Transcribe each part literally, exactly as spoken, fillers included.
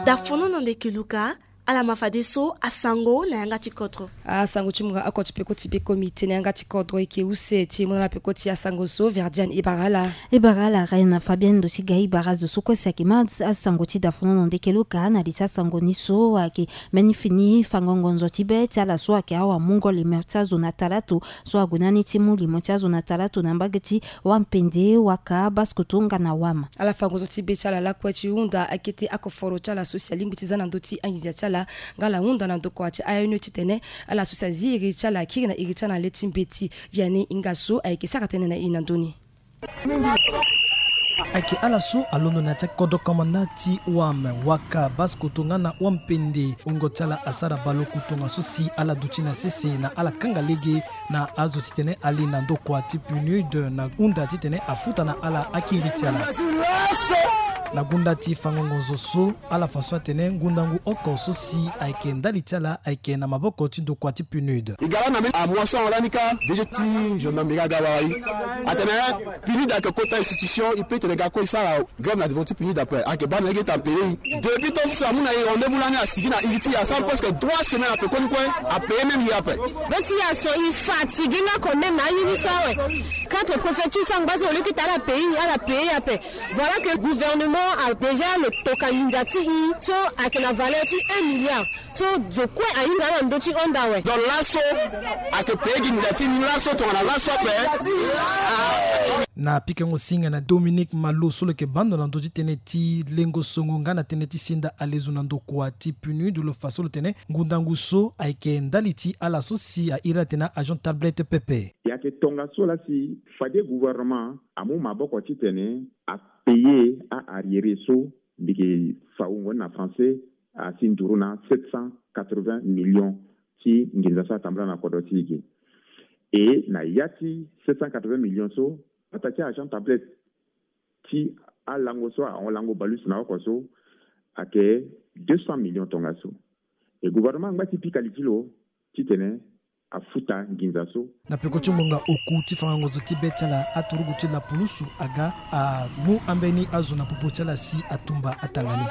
Dafono na ndeke luka. Ala ma fadeso asango na yanga ti kodro. Asango ti munga oko ti peko ti peko mite na yanga ti kodro eke use ti mona na peko ti asango so Verdiane Ibarala. Ibarala Reine Fabienne ndo ti ga Ibara zo so kue si ayeke ma asango ti dafono na ndeke luka na li ti asango ni so ayeke mbeni fini fango ngonzo ti be ti ala so ayeke awa mungo limo ti azo na talato so ague na ni ti mu limo ti azo na talato na mbage ti Wampende, Waka, Basse-Kotto nga na Wam. Ala fa ngonzo ti be ti ala lakue ti hunda akete akoforo ti ala so si alingbi ti za na ndö ti anginza ti ala nga ala hunda na ndokua ti A N E titene ala so si azi iri ti ala akiri na iri ti ala na le ti mbeti. Vianney Ingasso ayeke sara tënë na e na ndö ni. Ayeke ala so alondo na ya ti akodro komanda ti Wam, Waka, Basse-Kotto nga na Wampende. Wungo ti ala asara baleoku tongaso si ala duti na sese na ala kanga lege na azo titene ali na ndokua ti PNUD na hunda titene afuta na ala akiri ti ala. Na gunda ti fango ngonzo so, ala fa so atene ngundangu oko so si ayeke ndali ti ala ayeke na maboko ti ndokua ti PNUD. E ga lani na mbeni amois so ahon lani kâ, D G ti gendarmerie aga wara e. Atene PNUD ayeke kota institution, e peut tene ga kue e sara grève na devant ti PNUD ape. Ayeke baa na lege ti apele e. Depuis tant so si amu na e rendez-vous lani, asigi na iri ti e asara presque trois semaines ape koni kue, apele même ye ape. Be ti e aso e fatigué nga quand même na aye ni so awe. Quatre préfectures so angba so au lieu ti tene ala payé, ala payé ape. Voilà que gouvernement a déjà lo toka nginza ti e so ayeke na valeur ti un milliard. So zo kue ahinga ala na ndö ti honda awe. Donc laso ayeke payé gi nginza ti e ni laso tongana laso ape. Na pikango singa na Dominique Malo so lo yeke baa ndo na ndö ti tënë ti lengo songo nga na tënë ti senda alezo na ndokua ti PNUD, lo fa so lo tene ngundangu so ayeke ndali ti ala so si airi atene agent tablette pepe. E yeke tongaso laa si fade gouvernement amu maboko titene apayé a-arriéré so mbi yeke fa wungo ni na français, asi nduru na sept cent quatre-vingts millions ti nginza so atambula na kodro ti e ge. E na ya ti sept cent quatre-vingts millions so, pata ti agent tablette ti alango so ahon lango balus na oko so ayeke deux cents millions tongaso. E gouvernement angba ti pika li ti lo titene afuta nginza so. Na peko ti ngonga oku ti fango ngonzo ti be ti ala, aturugu ti lapulusu aga amu ambeni azo na popo ti ala si atumba atanga ni.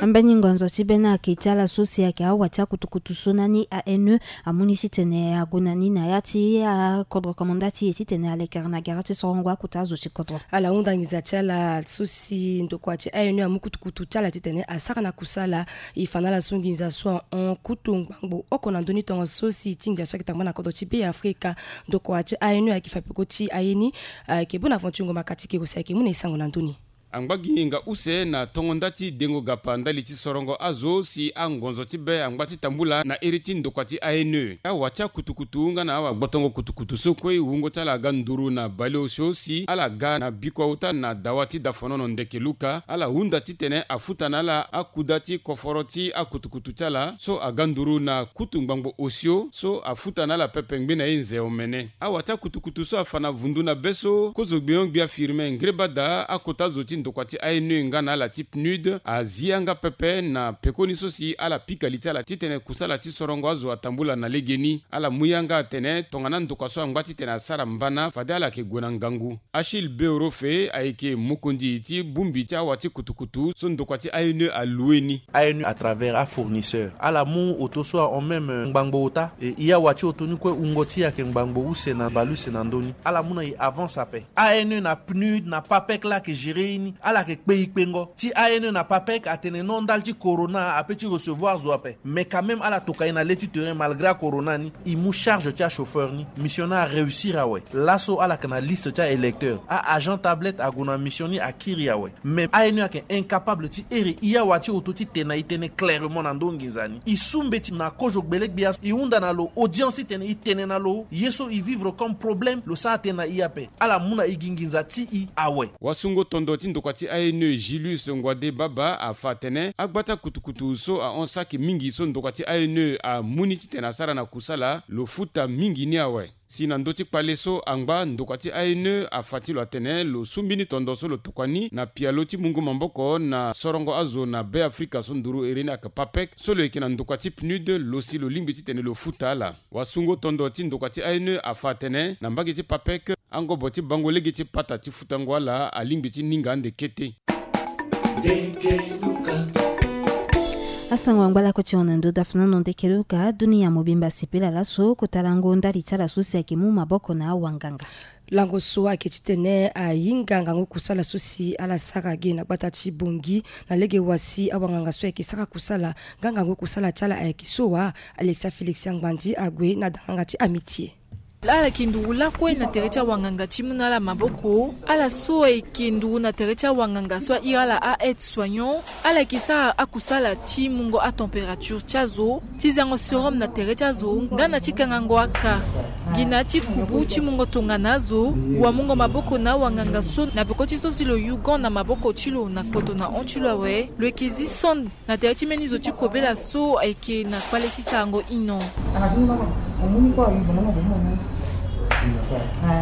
Ambeni ngonzo ti be ni ayeke ti ala so si ayeke awa ti akutukutu so na ni A N E amu ni titene ague na ni na ya ti akodro komanda ti e titene alekere na gere ti sorongo akota azo ti kodro. Ala hunda nginza ti ala so si ndokua ti A N E amu kutukutu ti ala titene asara na kusala. E fa na ala so nginza so ahon kutu ngbangbo oko na ndö ni tongaso si ti nginza so ayeke tambula na kodro ti Be Afrika. Ndokua ti A N E ayeke fa peko ti aye ni, ayeke Bonaventure Ngoma Katike si ayeke mu na e sango na ndö ni. Angba gi hinga use na tongo nda ti dengo gapa ndali ti sorongo azo si angonzo ti be angba ti tambula na iri ti ndokua ti A N E. Awa ti akutukutu nga na awa gbotongo kutukutu so kue wungo ti ala aga nduru na baleosio si ala ga na bikua ota na dawa ti dafonono ndeke luka, ala hunda titene afuta na ala akuda ti koforo ti akutukutu ti ala so aga nduru na kutu ngbangbo osio so afuta na ala pepe ngbene ye nze omene. Awa ti akutukutu so afa na vundu na be so kozo gbion gbia Firmin Ngreba daa akota zo ti ndokua ti A N E nga na ala ti PNUD azi yanga pepe na pekoni so si ala pika li ti ala titene kusala ti sorongo azo atambula na legeni. Ala mu yanga atene tongana ndokua so angba titene asara mbana fade ala yeke gue na ngangu. Achille Beorofe ayeke mokonzi ti bongbi ti awa ti kutukutu so ndokua ti A N E aloue ni. A N E à travers afournisseur ala mu oto so ahon même ngbangbo ota. E, e awa ti oto ni kue wungo ti e ayeke ngbangbo use na baleuse na ndö ni. Ala mu na e avance ape. A N E na PNUD na PAPEC laa ayeke gérer e ni. Ala yeke kpe e kpengo. Ti A N E na PAPEC atene non ndali ti corona ape ti recevoir zo ape. Mais quand même ala toka e na le ti terrain malgré acorona ni. E mu charge ti achauffeur ni. Mission ni aréussir awe. Laso ala yeke na liste ti aélecteur. A-agent tablette ague na mission ni akiri awe. Mais A N E ayeke incapable ti here e awa ti oto ti tene na e tënë clairement na ndö nginza ni. E su mbeti na kozo gbele gbia. E hunda na lo audience titene e tene na lo ye so e vivre comme problème lo sara tënë na e ape. Ala mu na e gi nginza ti e awe. Wasungo tondo ti ndokua ti A N E Julius Ngwade Baba afa atene agbata kutukutu so ahon saki mingi so ndokua ti A N E amu ni titene asara na kusala lo futa mingi ni awe. Si na ndö ti kpale so angba ndokua ti A N E afa ti lo atene lo su mbeni tondo so lo tokua ni na pialo ti mungo maboko na sorongo azo na Be Afrika so nduru iri ni ayeke PAPEC so lo yeke na ndokua ti PNUD lo si lo lingbi titene lo futa ala. Wasungo tondo ti ndokua ti A N E afa atene na mbage ti PAPEC Angobo ti bango lege ti pata ti futango ala alingbi ti ninga ande kete. Asango angba lakue ti hon na ndo dafu na non ndeke luka dunia mobimba asepela laso kota lango ndali ti ala so si ayeke mu maboko na awanganga. Lango so ayeke titene ahinga ngangu kusala so si ala sara ge na gbata ti bongi na lege wa si awanganga so ayeke sara kusala nga ngangu kusala ti ala ayeke so wa. Alexia Félix Angbandi ague na danganga ti Amitié. Ala yeke nduru lakue na tere ti awanganga ti mu na ala maboko. Ala so ayeke nduru na tere ti awanganga so ahiri ala a aide soignant. Ala yeke sara akusala ti mungo atempérature ti azo, ti zango sérum na tere ti azo nga na ti kangango aka. Gi na ti kubu ti mungo tongana azo, wamungo maboko na awanganga so na peko ti so si lo yu gan na maboko ti lo na kpoto na hon ti lo awe. Lo yeke zi sonde na tere ti mbeni zo ti kobela so ayeke na kpale ti sarango hino.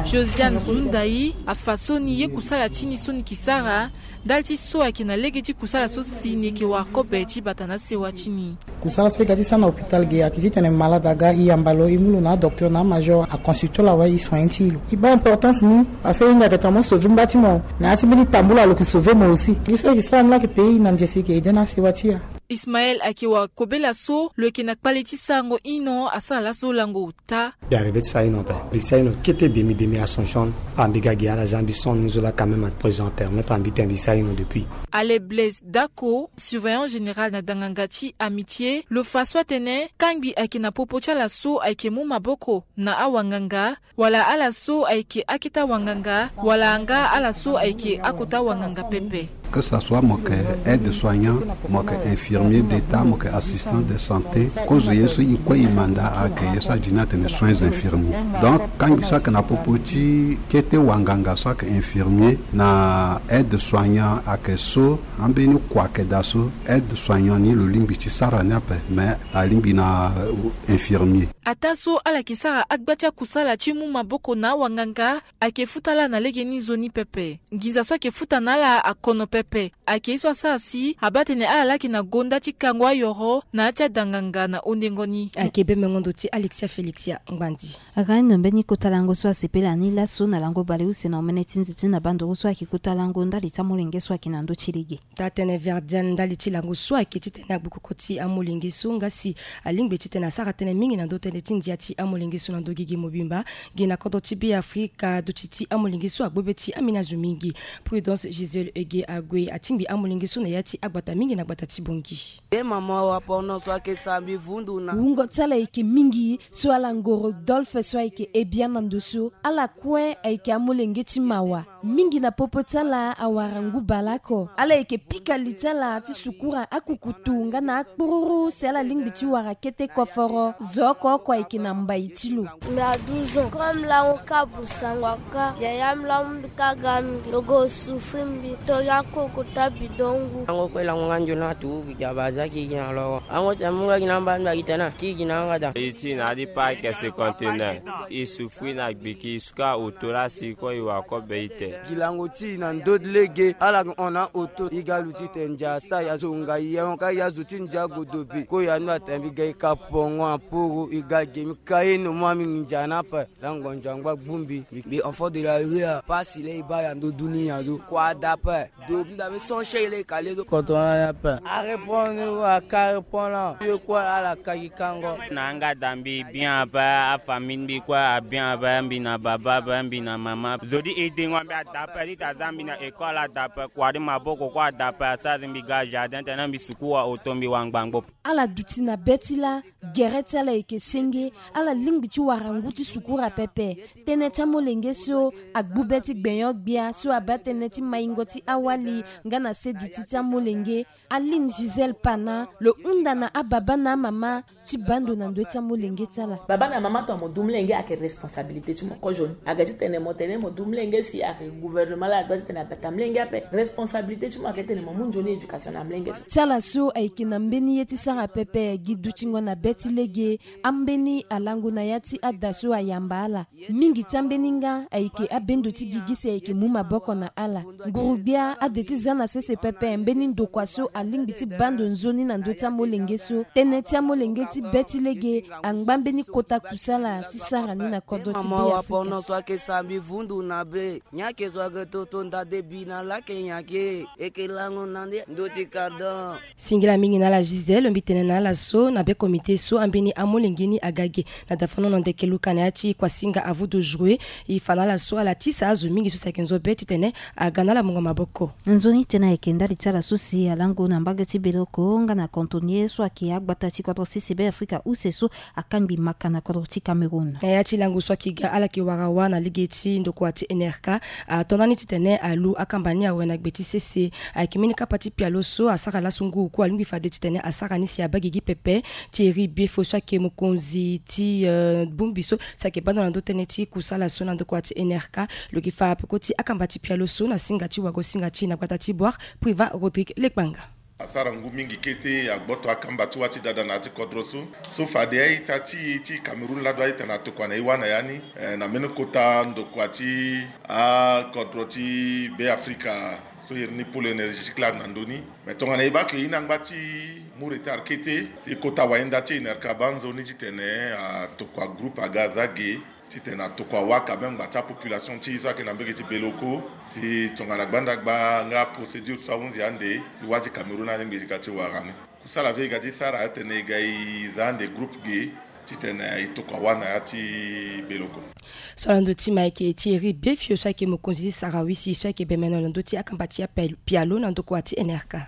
Josiane Zundai afa so ni ye kusala ti ni so ni yeke sara ndali ti so ayeke na lege ti kusala so si ni yeke wara kobe ti bata na sewa ti ni. Kusala so e ga ti sara na hôpital ge ayeke titene malade aga e yamba lo, e mu lo na adocteur na amajor aconsulte lo awe, e soigne ti e lo. E baa importance ni parce que e hinga ayeke tongana mo sauve ngba ti mo, na ya ti mbeni tambula lo yeke sauve mo aussi. Gi so e yeke sara ni laa ayeke payé e na ndia si e yeke aidé na asewa ti e. Ismaël ayeke wara kobela so lo yeke na kpale ti sarango hino asara laso lango ota. Mbi arrivé ti sara hino ape. Mbi sara hino kete demi demi à son chambre. Ah, mbi ga gi ala za mbi son ni zo la quand même à présent permettre mbi tene mbi sara hino depuis. Ale Blaise Dako, surveillant général na danganga ti Amitié, lo fa so atene kangbi ayeke na popo ti ala so ayeke mu maboko na awanganga, wala ala so ayeke akete awanganga, wala nga ala so ayeke akota awanganga pepe. Que ça soit mo yeke aide soignant, mo yeke infirmier d'état, mo yeke assistant de santé, kozo ye so e kue e manda ayeke ye so adi ni atene soins infirmiers. Donc kangbi so ayeke na popo ti kete wanganga so ayeke infirmier na aide soignant ayeke so, ambeni kua ayeke daa so, aide soignant ni lo lingbi ti sara ni ape, mais alingbi na, euh, infirmier. Ataa so ala yeke sara agba ti akusala ti mu maboko na awanganga, ayeke futa ala na legeni nzoni pepe. Nginza so ayeke futa na ala akono pepe. Ayeke ye so asara si abaa tene ala laa ayeke na gonda ti kango ayoro na ya ti adanganga na ondengo ni. Ayeke bemengo ndo ti Alexia Félix ya Ngbandi. Aga ino mbeni kota lango so asepela ni laso na lango baleuse na omene ti nze ti na bandoro so ayeke kota lango ndali ti amolenge so ayeke na ndö ti lege. Taa-tënë Verdiane ndali ti lango so ayeke titene agbokoko ti amolenge so nga si alingbi titene asara tënë mingi na ndö tënë ti ndia ti amolenge so na ndö gigi mobimba. Gi na kodro ti Beafrika duti ti amolenge so agbu be ti ambeni azo mingi. Prudence Gisèle Ege ague atingbi amolenge so na ya ti agbata mingi na gbata ti Bongi. E mama wa porno so ayeke sambi vundu na. Wungo ti ala ayeke mingi so ala ngo Rodolphe so ayeke Ebia na ndo so. Ala kue ayeke amolenge ti mawa. Mingi na popo ti ala awara ngu baleoko. Ala yeke pika li ti ala ti sukura akukutu nga na akpururu si ala lingbi ti wara kete koforo. Zo oko oko ayeke na mbai ti lo. Mbi a douze ans. Comme lango ka busango aka. Yaya mbi lango mbi ka ga mbi. Lo go souffrir mbi. To ya koko ta bidon ngu. Lango kue lango nga nzoni atu. Gi aba za ki gi na loro. Lango ti amu nga gi na amba mbi a gi tena. Ki gi na anga da. E ti na ali pa ayeke cinquante-neuf. E souffrir na gbiki. Ka oto laa si kue e wara kobe ite. Gi lango ti e na ndö ti lege ala yeke hon na oto e ga luti tene ndia asara e azo nga yengo ka e azo ti ndia godobe kue ya ni atene mbi ga e ka pongo aporo e ga ge mbi ka ye no mu ambi nginza na ape. Lango ndia ngba gbu mbi. Mbi enfant de la rue a pasi laa e baa ya ndö dunia zo kua da ape. Do mbi da mbi son chien laa e ka le do. Koto na ni ape. A répondre ou a ka répondre. Ye kue ala ka gi kango. Na anga da mbi bien ape, afamille mbi kue a bien ape, mbi na baba ape, mbi na mama. Zo di e dengo mbi a da ape, di ta za mbi na école a da ape, kua di maboko kue a da ape, asara mbi ga jardin tene mbi suku wa oto mbi wa ngbangbo. Ala duti na be ti laa. Gere ti ala yeke senge, ala lingbi ti wara ngu ti sukura pepe. Tënë ti amolenge so agbu be ti gbenyo-gbia so abaa tënë ti maingo ti awali nga na se duti ti amolenge. Aline Gisèle Pana lo hunda na ababa na amama ti baa ndo na ndö ti amolenge ti ala. Baba na mama tongana mo du molenge ayeke responsabilité ti mo kozo ni. Ayeke titene mo tene mo du molenge si ayeke Gouvernement la agba titene abata mlenge ape. Responsabilité ti mo ayeke titene mo mu nzoni éducation na mlenge so. Ti ala so ayeke na mbeni ye ti sara pepe gi dutingo na be ti lege. Ambeni alango na ya ti ada so ayamba ala. Mingi ti ambeni nga ayeke abendo ti gigi si ayeke mu maboko na ala. Nguru-gbia ade ti za na sese pepe mbeni ndokua so alingbi ti baa ndo nzoni na ndö ti amolenge so. Tënë ti amolenge ti be ti lege angba mbeni kota kusala ti sara ni na kodro ti Be Afrika. Singila mingi na ala Gisèle lo mbi tene na ala so na be komite so ambeni amolenge ni aga ge na dafanono ndeke luka na ya ti kuasinga avu de jouer. E fa na ala so ala tisa azo mingi so si ayeke nzo be titene aga na ala mungo maboko. Nzoni tënë ayeke ndali ti ala so si alango na mbage ti Beloko nga na cantonnier so ayeke agbata ti kodro sese Be Afrika use so akangbi maka na kodro ti Cameroun. Na ya ti lango so ayeke ga ala yeke wara wâ na lege ti ndokua ti N R K, ato na ni titene alu akamba ni awe na gbe ti sese. Ayeke mbeni kapa ti pialo so asara laso ngu oku alingbi fade titene asara ni si abaa gigi pepe. Thierry Biefo so ayeke mokonzi ti, eh, bongbi so si ayeke baa ndo na ndö tënë ti kusala so na ndokua ti N R K, lo yeke fa peko ti akamba ti pialo so na singa ti wago singa ti na gbata ti Boire, Privat Rodrigue Lekpanga. Asara ngu mingi kete, agboto akamba ti wâ ti dada na ya ti kodro so. So fade a-ita ti, ti Cameroun lado a-ita na tokua na e wâ na ya ni, eh, na mbeni kota ndokua ti akodro ti Be Afrika so iri ni pôle énergétique lado na ndö ni. Me tongana e baa ke e na ngba ti mu retard kete, si kota wayenda ti N R K abaa nzoni titene atokua groupe aga aza ge titene atokua wâ ka même ngba ti apopulation ti e so ayeke na mbage ti Beloko, si tongana gbanda gba nga procédure so ahunzi ande, si wâ ti Cameroun alingbi ti ga ti wara ni. Kusala ve e ga ti sara atene e ga e za ande groupe ge titene e tokua wâ na ya ti Beloko. So na ndö ti ma ayeke Thierry Biefo so ayeke mokonzi ti Sarawi si so ayeke bemeno na ndö ti akamba ti apialo na ndokua ti N R K.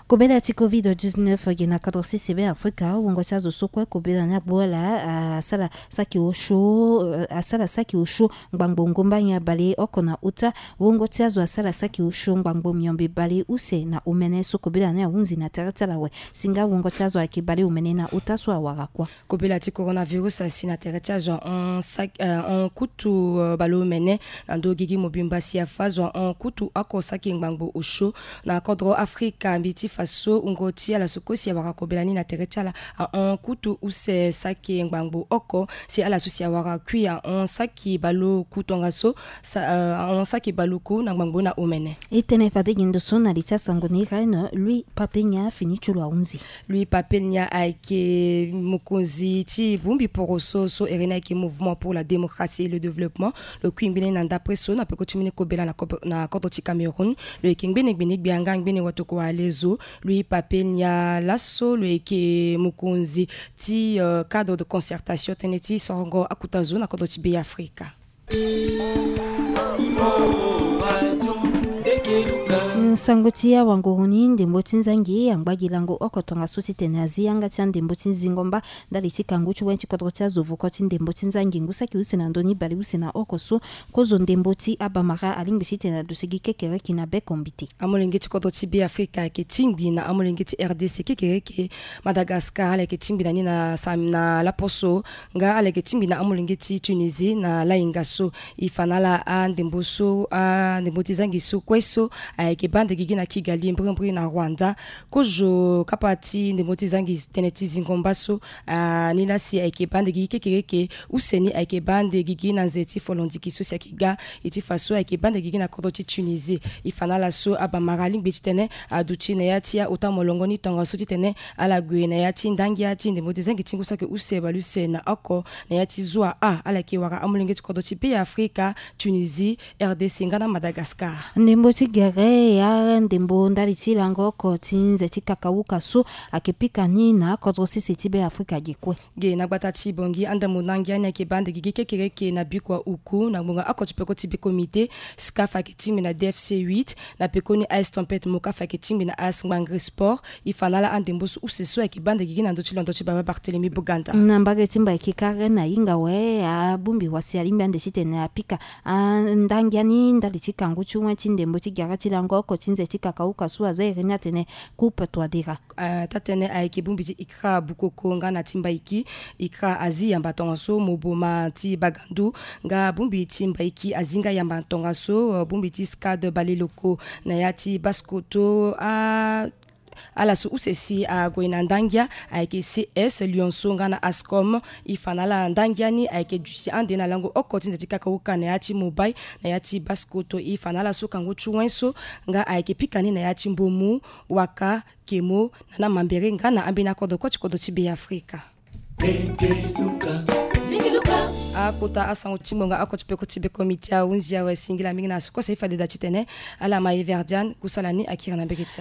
Kobela ti covid dix-neuf gi na kodro sese Be Afrika, wungo ti azo so kue kobela ni agbu ala asara saki osio, eh, asara saki osio ngbangbo ngomba nyen bale oko na uta. Wungo ti azo asara saki osio ngbangbo miombe bale use na omene so kobela ni ahunzi na tere ti ala awe. Si nga wungo ti azo ayeke bale omene na uta so awara kuâ. Kobela ti coronavirus asi na tere ti azo ahon saki, eh, ahon kutu, eh, baleomene na ndö gigi mobimba si afa zo ahon kutu oko saki ngbangbo osio na kodro Afrika. Mbi ti fa so wungo ti ala so kue si awara kobela ni na tere ti ala ahon kutu use saki ngbangbo oko, si ala so si awara kui ahon saki baleoku tongaso, sa, eh, ahon saki baleoku na ngbangbo na omene. E tene fade gi ndo so na li ti asango ni Reine Louis Papenya fini ti lo ahunzi. Louis Papenya ayeke mokonzi ti bongbi poroso so iri ni ayeke Mouvement pour la Démocratie et le Développement. Lo kui mbeni na ndapre so na peko ti mbeni kobela na kobo-, na kodro ti Cameroun. Lo yeke ngbene gbene gbia nga ngbene watokua alezo. Louis Papenya laso lo yeke mokonzi ti, euh, cadre de concertation tënë ti sorongo akuta zo na kodro ti Be Afrika. Nsango ti awanguru ni, ndembo ti nzangi angba gi lango oko tongaso titene azi yanga ti andembo ti zingo mba ndali ti kangu ti wen ti kodro ti azo voko ti ndembo ti nzangi ngu saki use na ndö ni bale use na oko so. Kozo ndembo ti abamara alingbi titene aduti gi kekereke na be kombite. Amolenge ti kodro ti Be Afrika ayeke tingbi na amolenge ti R D C kekereke. Madagascar ala yeke tingbi na ni na sam-, na laposo. Nga ala yeke tingbi na amolenge ti Tunisie na lahinga so. E fa na ala andembo so, andembo ti zangi so kue so ayeke baa ande gigi na Kigali, mbirimbiri na Rwanda. Kozo kapa ti ndembo ti zangi tënë ti zingo mba so, ah, ni laa si ayeke baa ande gigi kekereke. Use ni ayeke baa ande gigi na nze ti folondiki so si ayeke ga. E ti fa so ayeke baa ande gigi na kodro ti Tunisie. E fa na ala so abamara alingbi titene aduti na ya ti aota molongo ni tongaso titene ala gue na ya ti ndangia ti ndembo ti zangi ti ngu saki use baleuse na oko na ya ti zua a. Ala yeke wara amolenge ti kodro ti Be Afrika, Tunisie, R D C nga na Madagascar. Ndembo ti gere ya ndembo ndali ti lango oko ti nze ti kakauka so ayeke pika ni na akodro sese ti Be Afrika ge kue. Ge na gbata ti Bangui, andembo ndangia ni ayeke baa ande gigi kekereke na bikua uku na ngbonga oko ti peko ti be comité. SCAF ayeke tingbi na D F C huit, na pekoni A S Tempête Mokafa ayeke tingbi na A S Ngbangre Sport. E fa na ala andembo so use so ayeke baa ande gigi na ndö ti londo ti baba Barthélemy Boganda. Na mbage ti mba ayeke kare na hinga awe, abongbi wa si alingbi ande titene apika andangia ni ndali ti kangu ti wen ti ndembo ti gere ti lango oko ti nze ti kakauka so aza iri ni atene Coupe Touadéra. Taa tënë ayeke bongbi ti Ikra Bukoko nga na ti Mbaiki. Ikra azi yamba tongaso, Moboma ti Bagandu nga bongbi ti Mbaiki azi nga yamba tongaso, bongbi ti Scad Baleloko na ya ti Basse-Kotto. Ala so use si ague na ndangia ayeke C S Lionceau nga na Ascom. E fa na ala ndangia ni ayeke duti ande na lango oko ti nze ti kakauka na ya ti Mobay na ya ti Basse-Kotto. E fa na ala so kango ti wen so nga ayeke pika ni na ya ti Mbomu, Waka, Kemo, na na Mambere nga na ambeni akodro kue ti kodro ti Beafrika. Akota asango ti ngbonga oko ti peko ti beko miti ahunzi awe singila mingi na sukose ifade da titene ala ma everdian kusala ni akiri na mbege ti ala.